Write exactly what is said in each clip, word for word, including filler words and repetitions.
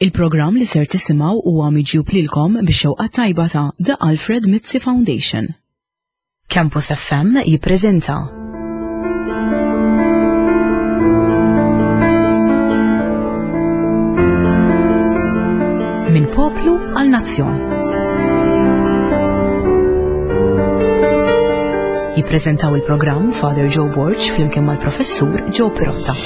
Il-programm li ser tisimgħu huwa miġjub lilkom bix-xewqa tajba ta' The Alfred Mizzi Foundation. Campus F M jippreżenta Minn Poplu għal Nazzjon. Jippreżentaw il-programm Father Joe Borg flimkien mal-Professur Joe Pirotta.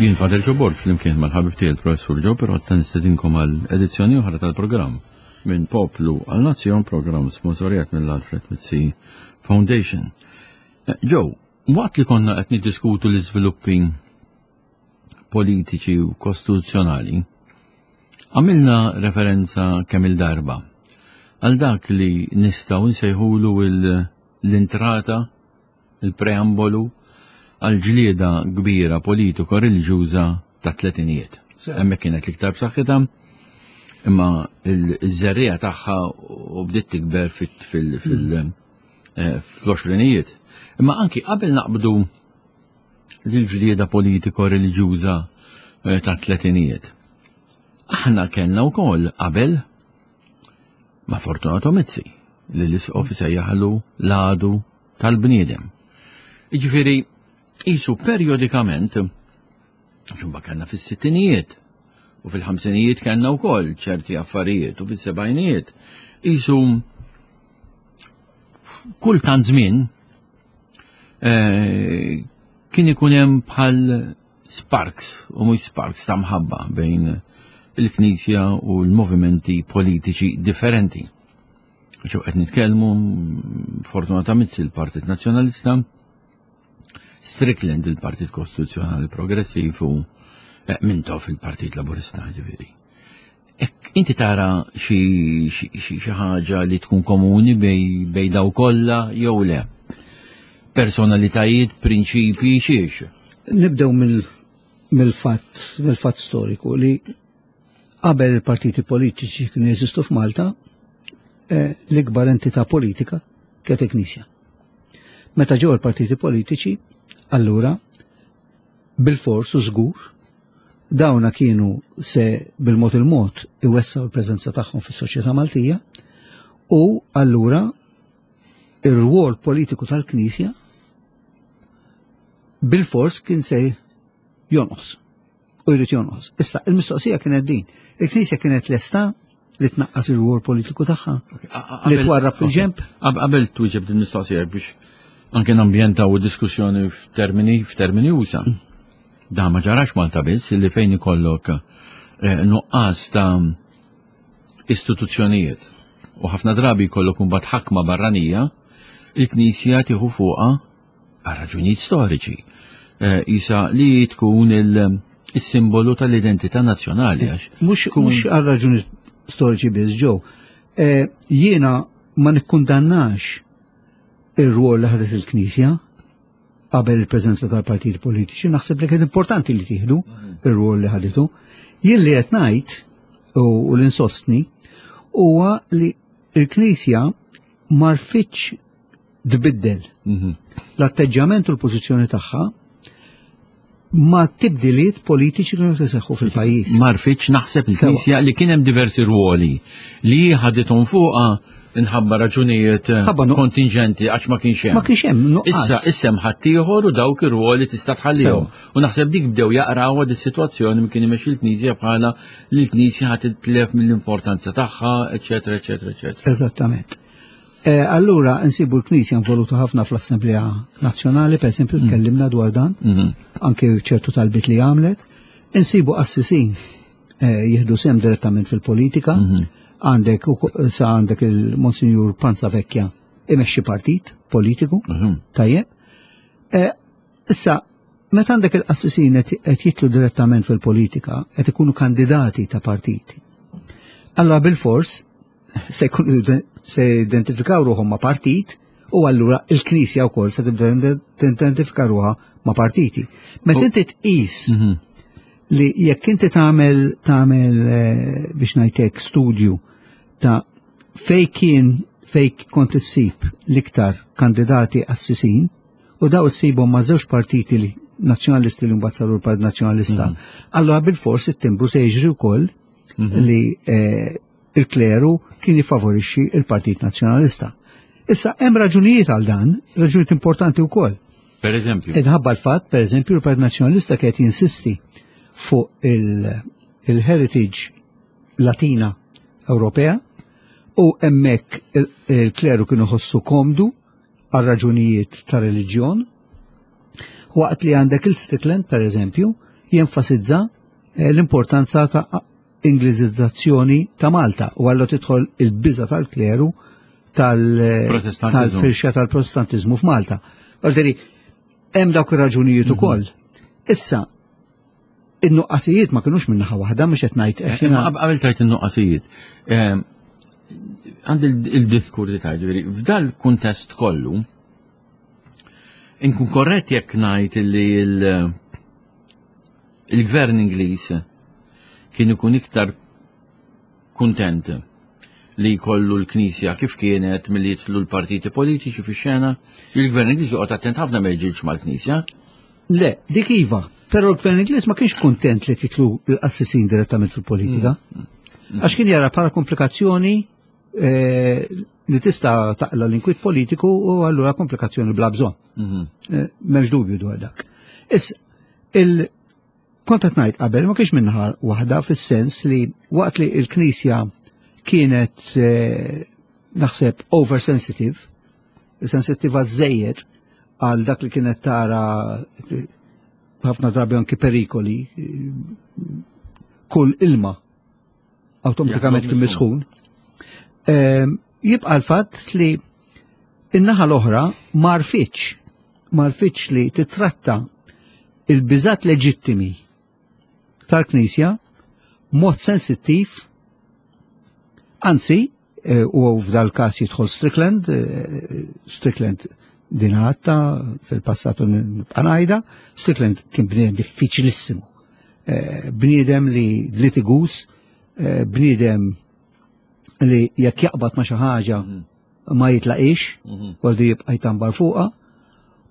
Jien Father Joe Borg flimkien mal-ħabib tiegħi il-Professur Joe Pirotta nistedinkom għal edizzjoni oħra tal-programm Minn Poplu għal Nazzjon, programm sponsorjat mill-Alfred Mizzi Foundation. Eh, Joe, waqt li konna qed niddiskutu l-iżviluppi politiċi u kostituzzjonali, għamilna referenza kemm il-darba għal dak li nistgħu nsejħulu l-intrata, il-preambolu għal ġlieda kbira politiko reliġjuża ta' tletinijiet. Hemmhekk kienet l-iktar b'saħħitha, imma l-żerriegħa tagħha u bdiet tikber fil-għoxrinijiet. Imma anki qabel naqbdu l-ġlieda politiko reliġjuża eh, ta' tletinijiet. Aħna kellna wkoll qabel ma' Fortunato Mizzi li l-isqof sejjaħlu l-għadu tal-bniedem. Jiġifieri qisu periodikament, ġumba kellna fis-sittinijiet u fil-ħamsinijiet kellna wkoll ċerti affarijiet u fis-sebgħinijiet. Qisu kull tant żmien eh, kien ikun hemm bħal sparks u mhux sparks ta' mħabba bejn il-Knisja u l-movimenti politiċi differenti. Ġo qed nitkellmu Fortunata Mizzi, il-Partit Nazzjonalista, Strickland, il-Partit Kostituzzjonali Progressiv, u eh, Mintoff, il-Partit Laburista, ġifieri. Ek, inti tara xi ħaġa li tkun komuni bej, bej daw kollha jew le? Personalitajiet, prinċipi, xiex? Nibdew mill-fatt mill-fatt storiku li qabel il-partiti politiċi kienu jeżistu f'Malta, eh, l-ikbar entità politika kienet il-Knisja. Meta ġew il-partiti politiċi, allura bil-fors u żgur dawna kienu se bil-mod il-mod iwessaw il-preżenza tagħhom fis-soċjetà Maltija u allura ir-rwol politiku tal-Knisja bil-fors kien se jonqos u jrid jonqos. Issa, il-mistoqsija kienet din. Il-Knisja kienet lesta li tnaqqas ir-rwol politiku tagħha, li twarrab fil-ġemp. Qabel twieġeb din mistoqsija, biex anke nambjentaw diskussjoni f'termini f'termini usa. Da ma ġarax Malta biss, li fejn ikollok eh, nuqqas ta' istituzzjonijiet u ħafna drabi jkollok imbagħad ħakma barranija, il-Knisja tieħu fuqha għal raġunijiet storiċi. Eh, isa li tkun il-simbolu tal-identità nazzjonali għax. Mhux mhux għal raġunijiet storiċi biss, ġew. Eh, jiena ma nikkundannax ir-rwol li ħadet il-Knisja qabel il-preżenza tal-partiti politiċi, naħseb li kien importanti li tieħdu ir-rwol li ħaditu. Jien li qed ngħid u l-insostni huwa li il-Knisja ma rfitx tbiddel Mhm. l-atteġġjament u l-pożizzjoni tagħha ma' tibdiliet politiċi kienu jseħħu fil-pajjiż. Ma rfitx naħseb il-Knisja li kien hemm diversi ruoli li ħadithom fuqha inħabba raġunijiet Ħabba nu- kontingenti għax ma kienx hemm. Ma kienx hemm nuqqas. Issa issa hemm ħaddieħor u dawk ir-ruoli tista' tħallihom. U naħseb dik bdew jaqraw dis-sitwazzjoni kien imexxi l-Knisja bħala li l-Knisja ħadd titlef mill-importanza tagħha, eċetera, eċetera, eċetera. Eżattament. Eh, allura nsibu l-Knisja involuta ħafna fl-Assemblea Nazzjonali, per esempio, tkellimna dwar dan, Mhm. anke ċertu talbit li għamlet. Insibu qassisin eh, jieħdu sem direttament fil-politika. Għandek u- sa għandek il-Monsinjur Panza Vecchia imexxi partit politiku, Mhm. tajjeb. Eh, Issa, meta għandek il-qassisin qed jitlu direttament fil-politika, qed ikunu kandidati ta' partiti. Allora bil-fors se jkunu se identifikaw ruħhom ma' partit U allura il-Knisja wkoll se tibda tidentifika ruħha ma' partiti. Meta inti tqis Mhm. li jekk inti tagħmel tagħmel eh, biex ngħidlek studju ta' fej kien fej kont issib l-iktar kandidati assisin u daw issibhom ma' żewġ partiti li nazzjonalisti li mbagħad saru l-Partit Nazzjonalista, allura bil-fors it-timbru se jiġri wkoll li eh, il-kleru kien jifavorixxi il-Partit Nazzjonalista. Issa hemm raġunijiet għal dan, raġunijiet importanti wkoll. Per eżempju. Minħabba l-fatt, per eżempju, il-Partit Nazzjonalista kienet jinsisti fuq il- il-heritage Latina Ewropea u hemmhekk il- il-kleru kienu ħossu komdu għal raġunijiet ta' reliġjon. Waqt li għandek il-Strickland, per eżempju, jenfasizza eh, l-importanza ta' Ingliżizzazzjoni ta' Malta u għallu tidħol il-biża tal-kleru tal- Protestantizmu. tal-firxa tal-protestantizmu f'Malta. Għalderi, hemm dawk ir-raġunijiet ukoll. Issa, in-nuqqasijiet ma kinux minnaħa waħda mhux qed ngħid Eh, qed Imma jiena- qab- qabel tajt in-nuqqasijiet. Ehm, Għandi il-diffikultà ġifieri, f'dal kuntest kollu, inkun korrett jekk ngħid li il- il-gvern Ingliż kien ikun iktar kuntent li jkollu l-Knisja kif kienet milli jidħlu l-partiti politiċi fix-xena, il-gvern Ingliż joqgħod attent ħafna ma jiġilx mal-Knisja. Le, dik iva. Però l-gvern Ingliż ma kienx kontent li titlu l-assisin direttament fil-politika. Għax kien jara bħala komplikazzjoni eh, li tista' taqla l-inkwit politiku u allura komplikazzjoni bla bżonn. Mhm. Eh, M'hemmx dubju dwar dak. Issa, il kont qed ngħid qabel ma kienx minnaħa waħda fis-sens li waqt li l-Knisja kienet eh, naħseb oversensitive, sensittiva żejjed għal dak li kienet tara eh, ħafna drabi anki perikoli, eh, kull ilma awtomatikament kien misħun. Ehm, Jibqa l-fatt li in-naħa l-oħra marfiċ, marfiċ li titratta il-biżat leġittimi tal-Knisja mod sensittiv, anzi, eh, u f'dal każ jidħol Strickland, eh, Strickland din għatta fil-passatu nibqa' ngħidha, Strickland kien bniedem diffiċilissimu. Eh, Bniedem li litigus, eh, bniedem li jekk jaqbad ma xi ħaġa ma jitlaqix, għaldu jibqa' jtambar fuqha,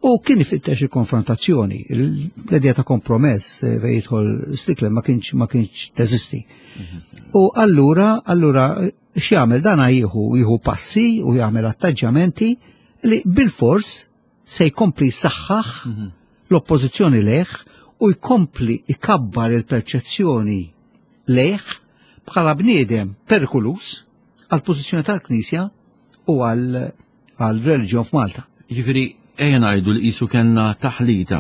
u kien ifittex il-konfrontazzjoni. L-idea ta' kompromess eh, fejn jidħol Strickland ma kienx ma kienx teżisti. U allura, allura x'jagħmel dan jieħu jieħu passi u jagħmel atteġġjamenti li bil-fors se jkompli jsaħħaħ l-oppożizzjoni lejh u jkompli ikabbar il-perċezzjoni lejh bħala bniedem perikolus għal pożizzjoni tal-Knisja u għal għal reliġjon f'Malta. Ġifieri, ejja ngħidu li qisu kellna taħlita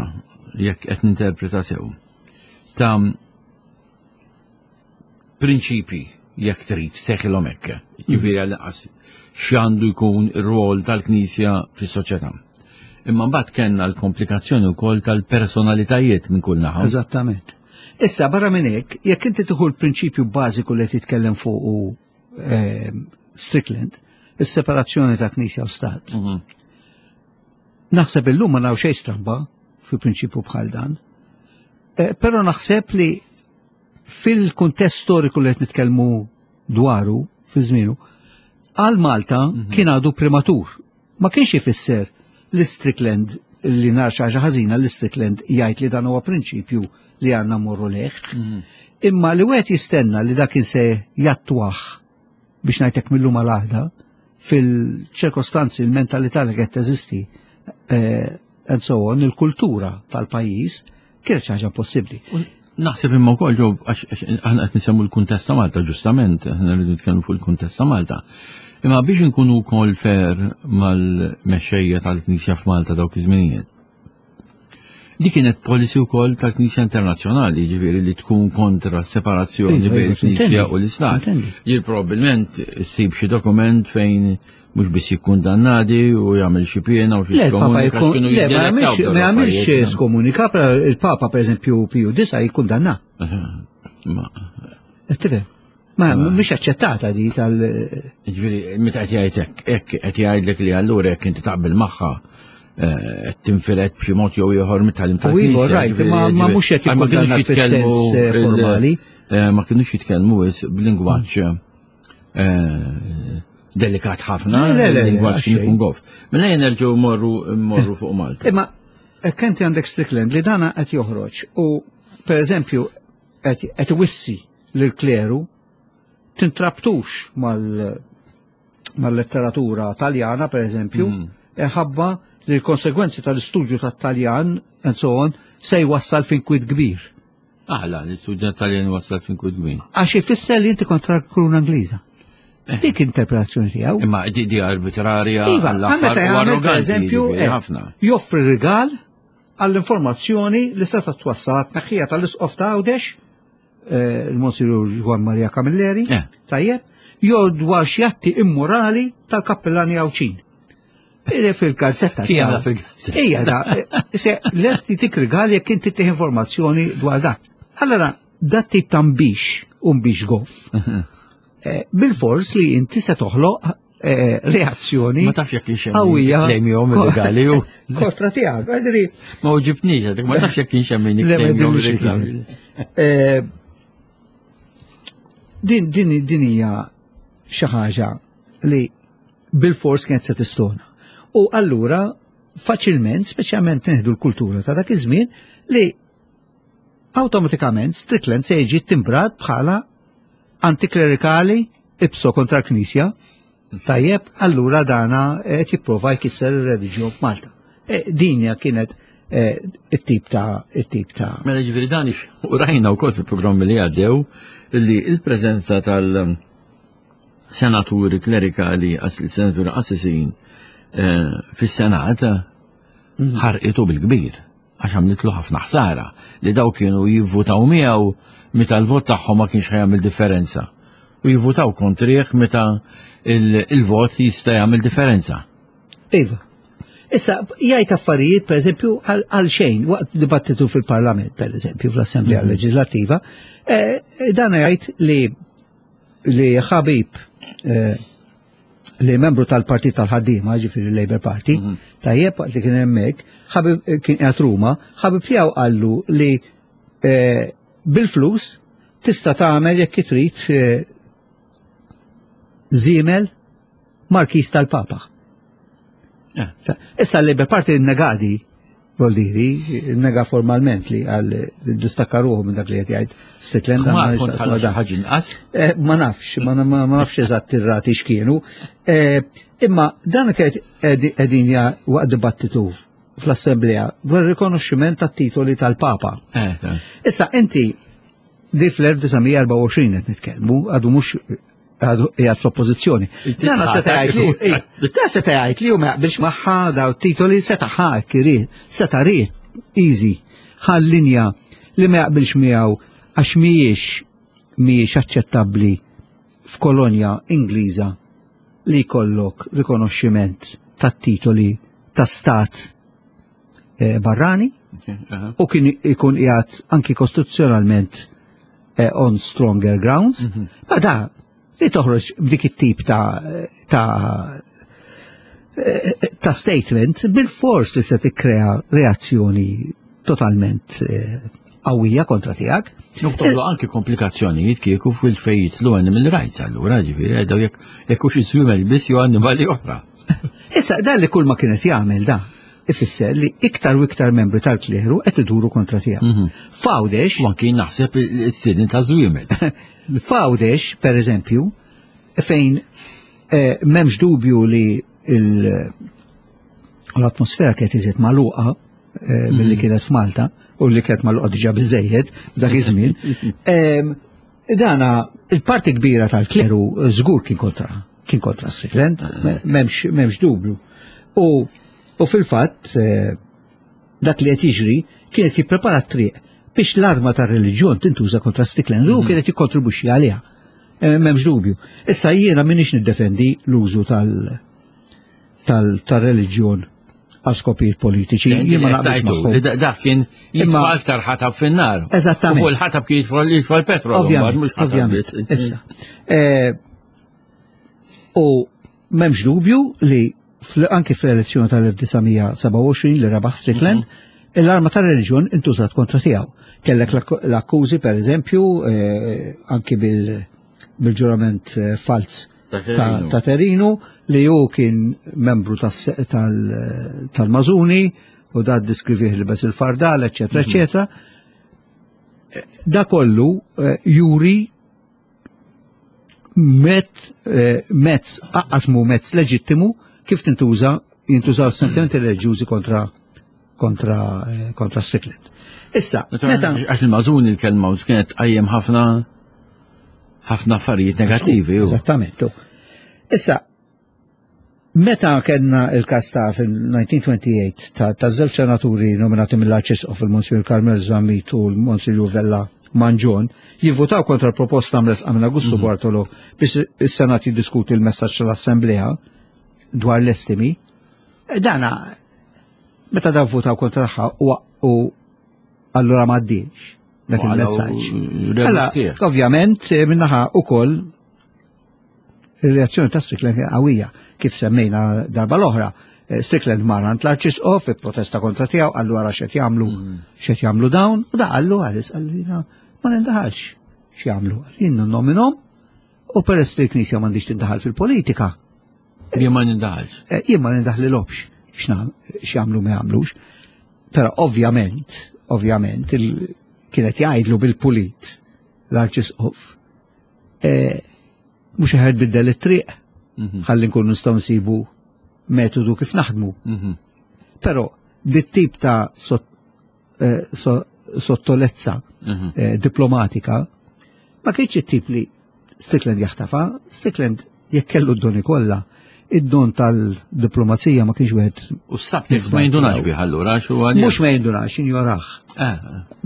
jekk qed ninterpreta sew ta' prinċipi jekk trid seħilhom hekk. Ġifieri għal x'għandu jkun ir-rwol tal-Knisja fis-soċjetà. Imma mbagħad kellna l-komplikazzjoni wkoll tal-personalitajiet minn kull naħa. Eżattament. Issa barra minn hekk, jekk inti tieħu l-prinċipju bażiku li titkellem fuq u eh, Strickland, is-separazzjoni ta' Knisja u Stat. Mhm. Naħseb illum ma naraw xejn stramba fi prinċipju bħal dan. Eh, Però naħseb li fil-kuntest storiku li qed nitkellmu dwaru fi żmienu, għal Malta kien għadu prematur. Ma kienx ifisser li Strickland li nar xi ħaġa ħażina li Strickland jgħid li dan huwa prinċipju li għandna mmorru lejh. Imma li wieħed jistenna li dak se jattwah biex ngħidlek mill-lum għal għada fil-ċirkostanzi, il-mentalità li qed teżisti eh, and so on, il-kultura tal-pajjiż kienet xi ħaġa possibbli. Naħseb imma wkoll ġew għax għax aħna qed nisemmu l-kuntest ta' Malta ġustament, aħna rridu nitkellmu fuq il-kuntest ta' Malta. Imma biex inkunu wkoll fair mal-mexxejja tal-Knisja f'Malta dawk iż-żminijiet. Di kienet policy wkoll tal-Knisja Internazzjonali, ġifieri li tkun kontra s-separazzjoni Iva, bejn iva, il-Knisja sintendi, u l-Istat. sintendi. Jien probabbilment ssib xi dokument fejn mhux biss jikkundannadi u jagħmel xi piena u xi Le, il-Papa skomunika jkun, x'kienu le, ma jiddelettaw jagħmilx dawn ma jagħmilx l-affarijiet. skomunika, però il-Papa per eżempju Piju Disa jikkundanna. Ma Tifhem? Ma mhix aċċettata di tal. Ġifieri, meta qed jgħid hekk, hekk qed jgħidlek li allura jekk inti taqbel magħha eh, qed tinfired b'xi mod jew ieħor mit-tagħlim U iva, right, ma ma mhux qed jikkundanna fis-sens eh, formali. Eh, ma kinux jitkellmu wis b'lingwaġġ eh, delikat ħafna, Le, le, le, lingwaġġ kien għax ikun goff. Mela jien nerġgħu morru morru fuq Malta. Imma hekk inti għandek Strickland li dana qed joħroġ u per eżempju qed qed iwissi lil kleru tintrabtux mal mal-letteratura taljana per eżempju, Mm. ħabba li l-konsegwenzi tal-istudju tat-Taljan and so on se jwassal f'inkwiet kbir. Aħla, l-istudent Taljan wasal f'inkwiet kbir. Għax ifisser li inti kontra l-kruna Ingliża. Eh. Dik interpretazzjoni tiegħu. Imma di, di arbitrarja Iva, għall-aħħar meta u jagħmel per arroganti, eżempju, jiġifieri, eh, ħafna. joffri rigal għall-informazzjoni li seta twassal tnaħħija tal-isqof ta' Għawdex, eh, il-Monsignor Juan Maria Camilleri, Eh. tajjeb, jew dwar xi atti immorali tal-kappellani Għawdxin. Ide fil-gazzetta. Kien tiegħu. fil-gazzetta. Ija da, eh, se lesti tik rigal jekk inti tih informazzjoni dwar dak. Allora, dat tip ta' mbix, u mbix goff, eh, bil-fors li inti se toħloq eh, reazzjoni Ma tafx jekk kienx hemm qawwija klejmihom illegali u kontra tiegħek. Għadri, ma uġibnix, għadek ma tafx jekk kienx hemm min Le, ma jikklejmihom jidhirlix li illegali. eh, din din din hija xi ħaġa li bil-fors kienet se tistona. U allura faċilment, speċjalment nieħdu l-kultura ta' dak iż-żmien, li awtomatikament Strickland se jiġi timbrat bħala antiklerikali ipso kontra l-Knisja. Tajjeb, allura dana qed jipprova jkisser ir-reliġjon f'Malta. E, Dinja kienet eh, it-tip ta' it-tip ta' Mela ġifieri dan ix- u rajna wkoll fil-programmi li għaddew li il-preżenza tal-senaturi klerikali, as- senaturi qassisin eh, fis-Senat ħarqitu bil-kbir għax għamlitlu ħafna ħsara li daw kienu jivvutaw miegħu meta l-vot tagħhom ma kienx ħajamel differenza. U jivvutaw kontrih meta il- il-vot jista' jagħmel differenza. Iva. Issa, jgħid affarijiet, per eżempju, għal għal xejn, waqt dibattitu fil-Parlament, per eżempju, fl-Assemblea Leġislattiva, eh, dan jgħid li li ħabib eh, li membru tal-Partit tal-ħaddiema, ġifieri Labour Party, tajjeb waqt li kien hemmhekk, ħabib eh, kien qiegħed Ruma, ħabib tiegħu qallu li eh, bil-flus tista' tagħmel jekk trid eh, żiemel Markis tal-Papa. Eh. Issa l-Labour Party negadi, voldiri, nega formalment li għal distakka ruħu minn dak li qed jgħid Strickland. Ma għandna kont x'naqsmu ħalla xi dan. ħaġa inqas. Eh, Ma nafx, ma ma- ma nafx eżatt ir-rati x'kienu. Eh, Imma dan kienet qegħdin ja waqt dibattitu fl-Assemblea dwar rikonoxximent tat-titoli tal-Papa. Eh, eh. Issa inti di fl-elf disa' mija erbgħa u għoxrin qed nitkellmu, għadu mhux għadu qiegħed fl-oppożizzjoni. Dana seta' jgħid li ej, dan seta' jgħid li hu ma jaqbilx magħha daw titoli seta' ħa irid, seta' ried easy ħal linja li ma jaqbilx miegħu għax mhijiex mhijiex aċċettabbli f'kolonja Ingliża li jkollok rikonoxximent tat-titoli ta' stat eh, barrani Okay, aha. u kien ikun qiegħed anki kostituzzjonalment eh, on stronger grounds, ma da li toħroġ b'dik it-tip ta' ta' eh, ta' statement bil-fors li se tikkrea reazzjoni totalment eh, qawwija kontra tiegħek. Nuk toħloq anki komplikazzjonijiet kieku fil-fejn jidħlu animal rights allura ġifieri għedaw jekk jekk hux iż-żwiemel biss jew annimali oħra. Issa dan li kull ma kienet jagħmel da ifisser li iktar u iktar membri tal-kleru qed iduru kontra tiegħu. F'Għawdex U anki naħseb is-sidin ta' żwiemel. F'Għawdex, per eżempju, fejn eh, m'hemmx dubju li il- l-atmosfera kienet iżjed magħluqa eh, milli kienet f'Malta u li kienet magħluqa diġà biżejjed f'dak iż-żmien. Em, Dana il-parti kbira tal-kleru żgur kien kontra kien kontra Strickland, m'hemmx m'hemmx dubju. U, u fil-fatt eh, dak li qed jiġri kienet jipprepara t-triq biex l-arma tar-reliġjon tintuża kontra Strickland u kienet jikkontribwixxi għaliha. Eh, M'hemmx dubju. Issa jiena m'iniex niddefendi l-użu tal- tal- tal-reliġjon għal skopijiet politiċi. Jien ma naqbilx magħhom. Dak kien jitfa' aktar ħatab fin-nar. Eżattament. U fuq il-ħatab kien jitfa' l-petrol. Ovvjament, ovvjament. Issa. U m'hemmx dubju li anki fl-elezzjoni tal-elf disa' mija sebgħa u għoxrin li rebaħ Strickland, l-arma tar-reliġjon intużat kontra tiegħu. Kellek l-akkużi, per eżempju, anki bil-ġurament falz ta' Terinu, li hu kien membru tal-Mażuni u da ddiskrivih li bes il-fardal, eċetera, eċetera. Da kollu juri mezz, aqqas mu mezz leġittimu kif tintuża, jintużaw sentimenti reliġjużi kontra kontra kontra Strickland. Issa, meta għax il-Mażuni l-kelma kienet tqajjem ħafna ħafna affarijiet negattivi. Eżattament. Issa, meta kellna il-każ ta' fil-nineteen twenty-eight ta' żewġ senaturi nominati mill-Arċisqof il-Monsignor Carmel Zammit u l-Monsignor Vella Mangion jivvotaw kontra l-proposta mresqa minn Augusto Bartolo biex is-Senat jiddiskuti l-messaġġ tal-Assemblea dwar l-estimi, dana meta daw votaw kontra tagħha u allura m'għaddiex dak il-messaġġ. Ovvjament minnaħa ukoll il-reazzjoni ta' Strickland qawwija, kif semmejna darba l-oħra. Strickland mar għand l-Arċisqof protesta kontra tiegħu, qallu ara x'qed jagħmlu, x'qed jagħmlu dawn, u da qallu għalis, qallu jiena ma nindaħalx x'jagħmlu, jien nnominhom u peress li l-Knisja m'għandix tindaħal fil-politika. Jien ma nindaħalx. Jien ma nindaħlilhomx x'jagħmlu ma jagħmlux. Però ovvjament, ovvjament kienet jgħidlu bil-pulit l-Arċisqof, mhux eħed biddel it-triq, ħalli nkunu nistgħu nsibu metodu kif naħdmu. Però dit-tip ta' sottolezza diplomatika ma kienx it-tip li Strickland jaħtafa. Strickland jekk kellu d-doni kollha, id-don tal-diplomazija ma kienx wieħed. U s-subtext ma jindunax bih allura xu għalih? Mhux ma jindunax, injoraħ.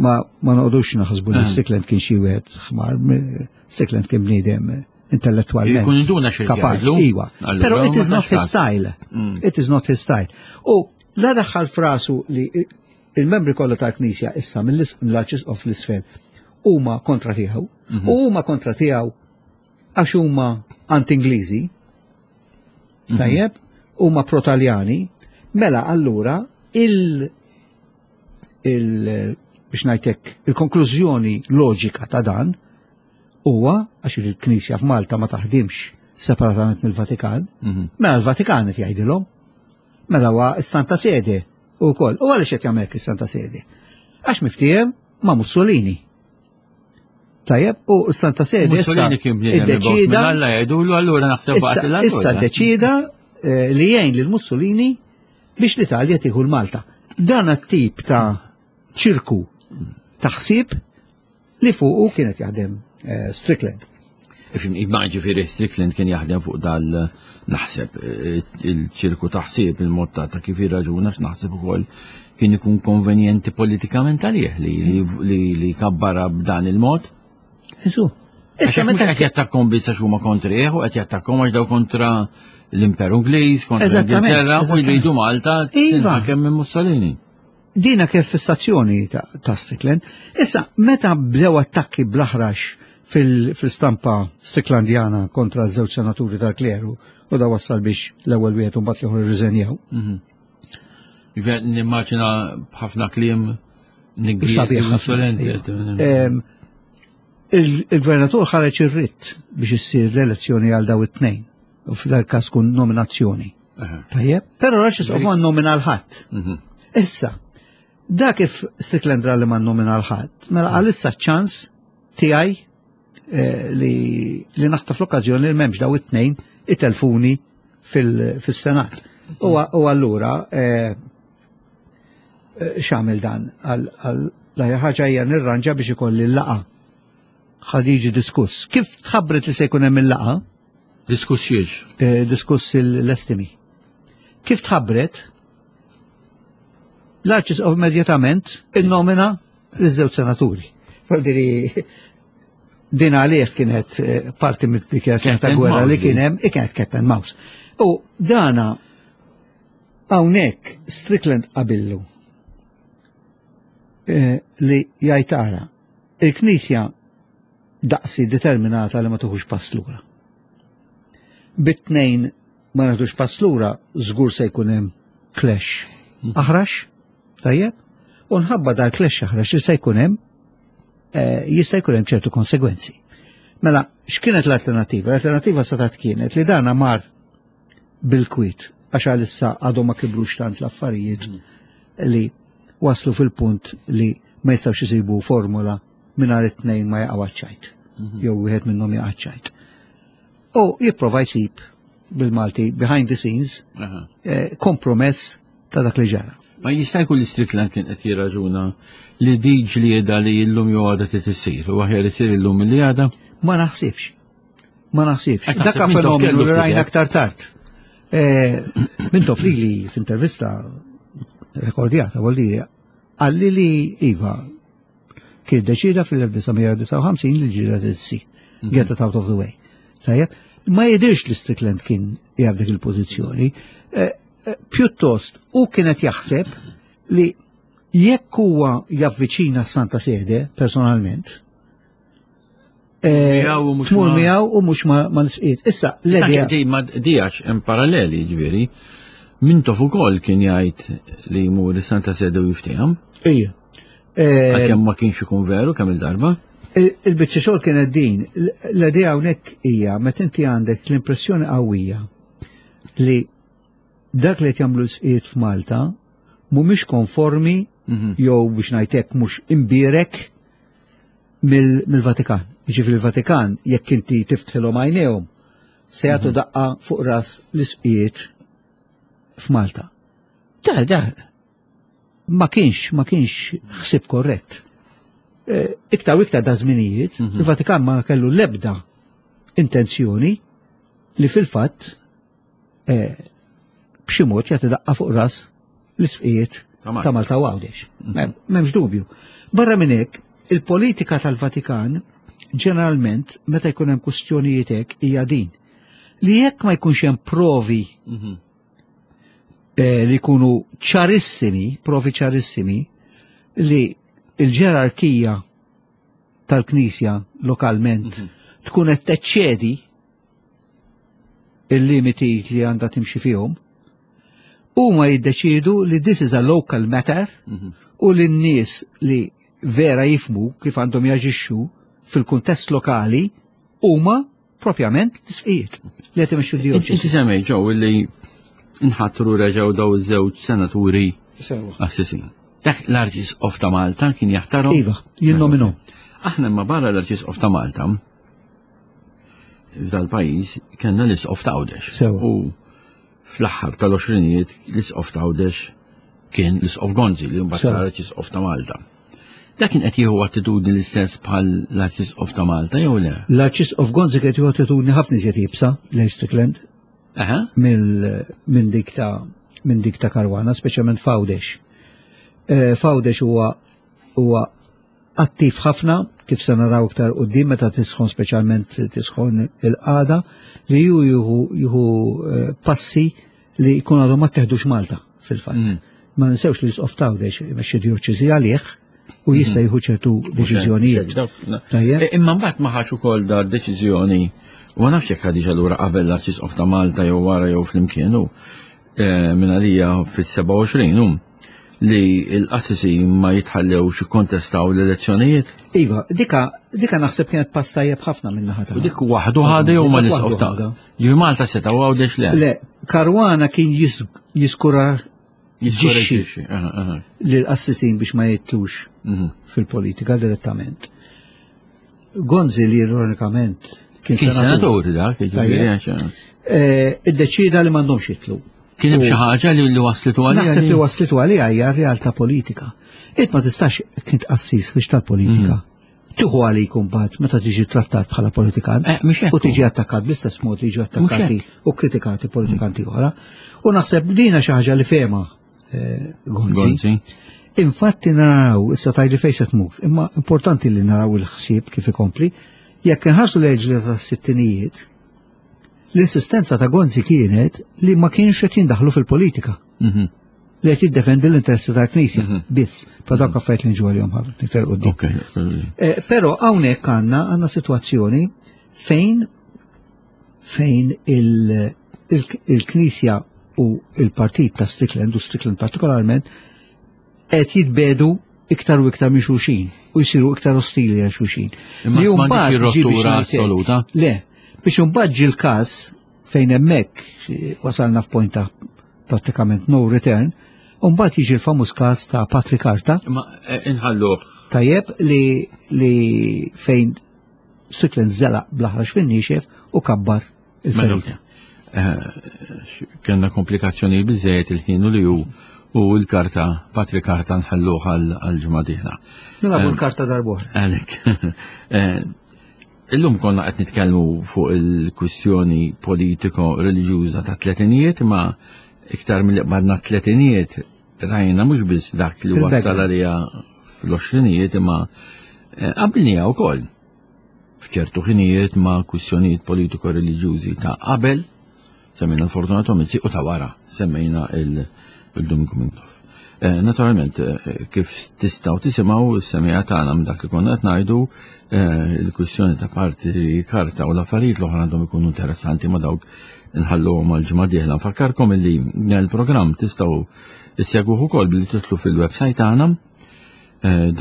Ma ma noqogħdux naħsbu li Strickland kien xi wieħed ħmar, Strickland kien bniedem intellettualment. Jkun induna xi kapaċi, iwa. Però it is not his style. It is not his style. U la daħħal frasu li il-membri kollha tal-Knisja issa mill-Arċisqof l-isfel huma kontra tiegħu, u huma kontra tiegħu għax huma anti-Ingliżi, tajjeb, huma pro-Taljani, mela allura il, il biex ngħidlek il-konklużjoni loġika ta' dan huwa għax il-Knisja f'Malta ma taħdimx separatament mill-Vatikan, mela l-Vatikan qed jgħidilhom, mela huwa s-Santa Sede ukoll. U għaliex qed jagħmel is-Santa Sede? Għax miftiehem ma' Mussolini. Tajjeb, u s-Santa Sede Mussolini kien bniedem iddeċida Alla jgħidulu allura naħseb waqt l Issa ddeċida li jgħin lil Mussolini biex l-Italja tieħu l-Malta. Dan t-tip ta' ċirku ta' ħsieb li fuqu kienet jaħdem Strickland. Ifim, imma ġifieri Strickland kien jaħdem fuq dal naħseb il-ċirku ta' ħsieb, il-mod ta' kif jirraġuna, x'naħseb ukoll kien ikun konvenjenti politikament għalih li li kabbara b'dan il-mod. Isu. Issa meta qed jattakkom biss għax huma kontrih u qed jattakkom għax daw kontra l-Imperu Ingliż, kontra l-Ingilterra u jridu Malta tinħakem minn Mussolini. Dina kif fissazzjoni ta' Strickland. Issa meta bdew attakki bl-aħrax fil-stampa Stricklandjana kontra żewġ senaturi tal-kleru u da wassal biex l-ewwel wieħed u mbagħad l-ieħor irriżenjaw. Nimmaġina b'ħafna kliem niggies. Il-gvernatur ħareġ ir-ritt biex issir l-elezzjoni għal daw it-tnejn u f'dal każ kun nominazzjoni. Tajjeb, però l-Arċisqof ma nnomina l-ħadd. Issa, da kif Strickland ra li ma nnomina l-ħadd, mela għalissa ċans tiegħi li li naħtaf l-okkażjoni li m'hemmx daw it-tnejn itelfuni fil-Senat. U allura x'għamel dan għal ħaġa hija nirranġa biex ikolli l-laqa. Ħad jiġi diskuss. Kif tħabbret li se jkun hemm il-laqa? Diskuss xiex? Diskuss l-estimi. Kif tħabbret? L-Arċisqof immedjatament innomina l-żewġ senaturi. Faldiri din għalih kienet parti mid-dikjarazzjoni ta' gwerra li kien hemm, kienet cat and mouse. U dana Hawnhekk Strickland qabillu eh, li jgħid ara il-Knisja daqsi determinata li ma tuħux pass lura. Bit-tnejn ma nagħtux pass lura, żgur se jkun hemm clash aħrax, tajjeb, u nħabba dal clash aħrax li se jkun hemm eh, jista' jkun hemm ċertu konsegwenzi. Mela, x'kienet l-alternativa? L-alternativa satat kienet li dana mar bil-kwit, għax għalissa għadhom ma kibrux tant l-affarijiet li waslu fil-punt li ma jistgħux isibu formula mingħajr it-tnejn ma jaqgħu ċajt. Jew wieħed minnhom jaqa' ċajt. U jipprova jsib bil-Malti behind the scenes Aha. eh, kompromess ta' dak li ġara. Ma jista' jkun li Strickland kien qed jirraġuna li di ġlieda li llum jew għada trid issir u aħjar isir illum milli għada. Ma naħsibx. Ma naħsibx. Ek naħseb Dakka Mintoff fenomenu kellu li ftit rajna hekk. aktar tard. Eh, Mintoff li li f'intervista rekordjata, vuol dire, qalli li Iva kien deċida fil-elf disa' mija disgħa u ħamsin li ġlieda tissir. Get it out of the way. Tajjeb, ma jidirx li Strickland kien jaf dik il-pożizzjoni. Eh, eh, Pjuttost, u kienet jaħseb li jekk huwa javviċina Santa Sede personalment, eh, Miegħu u mhux tmur ma- miegħu u mhux ma ma nisqiet. Issa, Issa l-idea di ma dijax hemm paralleli ġifieri. Mintoff ukoll kien jgħid li jmur is-Santa Sede u jiftehom, Ija. Eh, għalkemm ma kienx ikun veru kemm il-darba. Il- Il-biċċa xogħol kienet din, l-idea hawnhekk hija meta inti għandek l-impressjoni qawwija li dak li qed jagħmlu l-isqiet f'Malta mhumiex konformi Mhm. jew biex ngħidlek mhux imbierek mill- mill-Vatikan. Jiġifieri il-Vatikan jekk inti tiftħilhom għajnejhom se jagħtu daqqa fuq ras l-isqiet f'Malta. Da, da, ma kienx, ma kienx ħsib korrett. Eh, Iktar u iktar da żminijiet, Mhm. il-Vatikan ma kellu l-ebda intenzjoni li fil-fatt eh, b'xi mod jagħti daqqa fuq ras l-isqiet Ta' Malta. ta' Malta u Għawdex. Mem- M'hemmx dubju. Barra minn hekk, il-politika tal-Vatikan ġeneralment meta jkun hemm kwistjonijiet hekk hija din. Li jekk ma jkunx hemm provi Mhm. eh, li jkunu ċarissimi, provi ċarissimi, li il-ġerarkija tal-Knisja lokalment tkun qed teċċedi il-limiti li għandha timxi fihom, huma jiddeċidu li this is a local matter Mhm. u li n-nies li vera jifmu kif għandhom jaġixxu fil-kuntest lokali huma propjament l-isqijiet li qed imexxu Inti d-dioċesi. semmej ġew li nħatru reġgħu daw iż-żewġ senaturi Sewa. assisin. Dak l-Arċisqof ta' Malta kien jaħtarhom. Iva, jinnominhom. Aħna imma barra l-Arċisqof ta' Malta f'dal-pajjiż kellna l-Isqof ta' Għawdex. Sewa. U fl-aħħar tal-għoxrinijiet l-Isqof ta' Għawdex kien l-Isqof Gonzi li mbagħad Sewa. sar Arċisqof ta' Malta. Dak kien qed jieħu attitudni l-istess bħal l-Arċisqof ta' Malta jew le? L-Arċisqof Gonzi kien jieħu attitudni ħafna iżjed iebsa lejn Strickland Aha. mill minn dik ta' minn dik ta' Caruana, speċjalment f'Għawdex. Eh, F'Għawdex huwa huwa attiv ħafna kif se naraw iktar quddiem meta tisħon, speċjalment tisħon il-qagħda, li ju jieħu jieħu eh, passi li jkun għadhom ma teħdux Malta fil-fatt. Mm. Ma ninsewx li l-Isqof t'Għawdex imexxi dioċesi għalih u jista' jieħu ċertu deċiżjonijiet. Tajjeb. E, Imma mbagħad ma ħax ukoll da deċiżjoni u ma nafx jekk ħadix allura qabel l-Arċisqof ta' Malta jew wara jew flimkien u eh, minn għalija fis-sebgħa u għoxrin hu li l-qassisi ma jitħallewx ikkontestaw l-elezzjonijiet. Iva, dika, dika naħseb kienet pass tajjeb ħafna minn naħa U tagħha. dik waħdu ħadu jew ma Dik l-Isqof waħdu ta' ħadha. Ġifi Malta seta' u Għawdex le. Le, Caruana kien jis- jiskura Jiskoraġġixxi. Aha, aha. l-qassisin biex ma jitlux Mhm. fil-politika direttament. Gonzi li ironikament kien Kien senatur, senatur dak, jiġifieri għax- eh, iddeċida li m'għandhomx jitlu. Kien hemm xi ħaġa li li waslitu għalija. Naħseb li waslitu għalija hija realtà politika. Int ma tistax kint qassis biex tal-politika. Tieħu għalik mbagħad meta tiġi trattat bħala politikant Eh, mhux hekk u tiġi attakkat bl-istess mod li jiġu attakkati hekk. u kritikati politikanti oħra. U naħseb dina xi ħaġa li fema eh, Gonzi. Gonzi. Infatti naraw, issa tajli fejn se tmur, imma importanti li naraw il-ħsieb kif ikompli, jekk inħarsu l-ġlieda tas-sittinijiet, l-insistenza ta' Gonzi kienet li ma kienx qed jindaħlu fil-politika. Mhm. Li qed jiddefendi l-interessi tal-Knisja Mhm. biss, pa dawk affarijiet li nġu għalihom ħafna iktar quddiem. Ok. Eh, Però hawnhekk għandna għandna sitwazzjoni fejn fejn il- il- il-Knisja u il-partit ta' Strickland u Strickland partikolarment qed jitbedu iktar u iktar minn xulxin u jsiru iktar ostili għal xulxin. Imma Li m'għandix mbagħad ġi biex ir-rottura ngħidlek- assoluta. Le, biex imbagħad ġi l-każ fejn hemmhekk eh, wasalna f'point ta' prattikament no return, u mbagħad jiġi l-famuż każ ta' Patrick Carta, Ma eh, inħalluh. tajjeb li, li fejn Strickland żelaq bl-aħrax fin-niexef u kabbar il-ferita. Eh, Kellna komplikazzjoni biżejjed il-ħin u li hu u l-karta, Patrick Carta nħalluh għal ġimgħa dieħla. Nilagħbu l-karta darb'oħra. Għalek. Eh, Illum konna qed nitkellmu fuq il-kwistjoni politiko-reliġjuża ta' tletinijiet, ma iktar mill qbadna tletinijiet rajna mhux biss dak li Il-background. wassal għalija fl-għoxrinijiet imma eh, qabilniha wkoll f'ċertu ħinijiet ma' kwistjonijiet politiko-reliġjużi ta' qabel, semmejna l-Fortunato Mizzi u ta' wara, semmejna il- il-Duminku Mintoff. Eh, Naturalment, eh, kif tistgħu tisimgħu s-semija tagħna minn dak li konna qed ngħidu eh, il-kwistjoni ta' Patri Carta u l-affarijiet l-oħra għandhom ikunu interessanti ma dawk nħalluhom għal ġimgħa dieħla. Nfakkarkom illi dan il-programm tistgħu issegwuh ukoll billi titlu fil-website tagħna eh,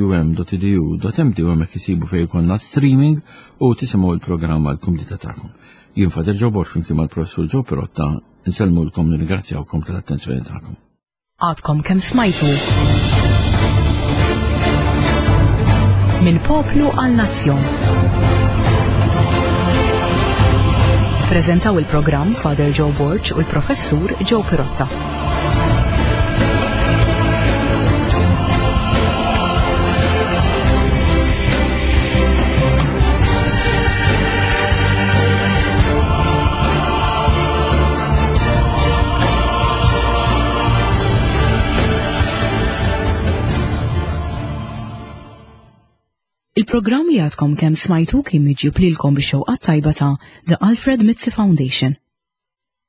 www.campusfm.um.edu.mt u hemmhekk isibu fejn ikollna streaming u tisimgħu il-programm għal kumdità tagħkom. Jien Father Joe Borg flimkien mal-Professur Joe Pirotta nsellmulkom nirringrazzjawkom tal-attenzjoni tagħkom. Għadkom kemm smajtu. Minn poplu għal nazzjon. Prezentaw il-programm Father Joe Borg u l-Professur Joe Pirotta. Il-programm li għadkom kemm smajtu kien miġjub lilkom bix-xewqa tajba ta' The Alfred Mizzi Foundation.